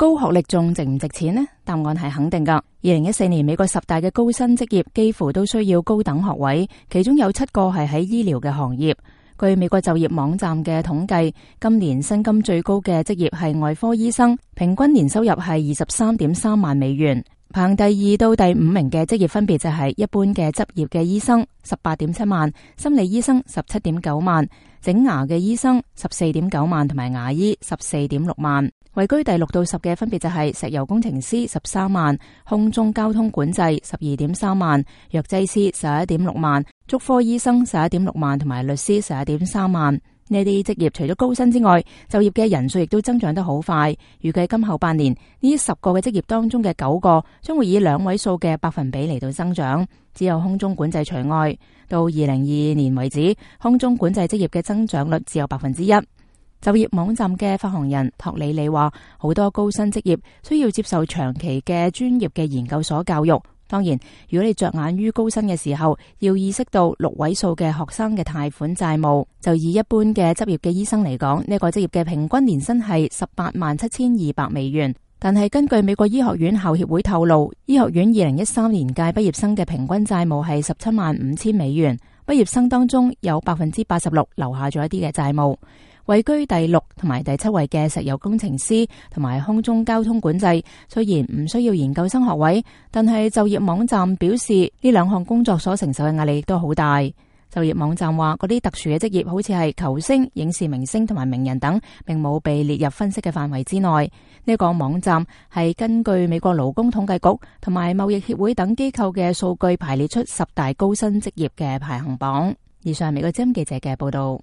高學歷仲值唔值錢呢？答案係肯定㗎。2014年美國10大嘅高薪職業幾乎都需要高等學位，其中有7個係喺醫療嘅行業。據美國就業網站嘅統計，今年薪金最高嘅職業係外科醫生，平均年收入係23.3萬美元。排第2到第5名嘅職業分別就係一般嘅執業嘅醫生18.7萬，心理醫生17.9萬，整牙嘅醫生14.9萬，同埋牙醫14.6萬。位居第6到10嘅分別就係石油工程師13萬，空中交通管制12.3萬，藥劑師11.6萬，竹科醫生11.6萬，同埋律師11.3萬。呢啲職業除咗高薪之外，就業嘅人數亦都增長得好快。預計今後8年，呢10個嘅職業當中嘅9個將會以2位數嘅百分比嚟到增長，只有空中管制除外。到2022年為止，空中管制職業嘅增長率只有1%。就業網站嘅發行人托里里話，好多高薪職業需要接受長期嘅專業嘅研究所教育。當然，如果你着眼於高薪嘅時候，要意識到6位數嘅學生嘅貸款債務。就以一般嘅執業嘅醫生嚟講，呢個職業嘅平均年薪係187200美元。但係根據美國醫學院校協會透露，醫學院2013年屆畢業生嘅平均債務係175000美元。畢業生當中有86%留下咗一啲嘅債務。位居第6同埋第7位嘅石油工程師同埋空中交通管制，雖然唔需要研究生學位，但係就業網站表示呢2項工作所承受嘅壓力亦都好大。就業網站話，嗰啲特殊嘅職業好似係球星、影視明星同埋名人等，並冇被列入分析嘅範圍之內。呢個網站係根據美國勞工統計局同埋貿易協會等機構嘅數據排列出10大高薪職業嘅排行榜。以上係美國之音記者嘅報道。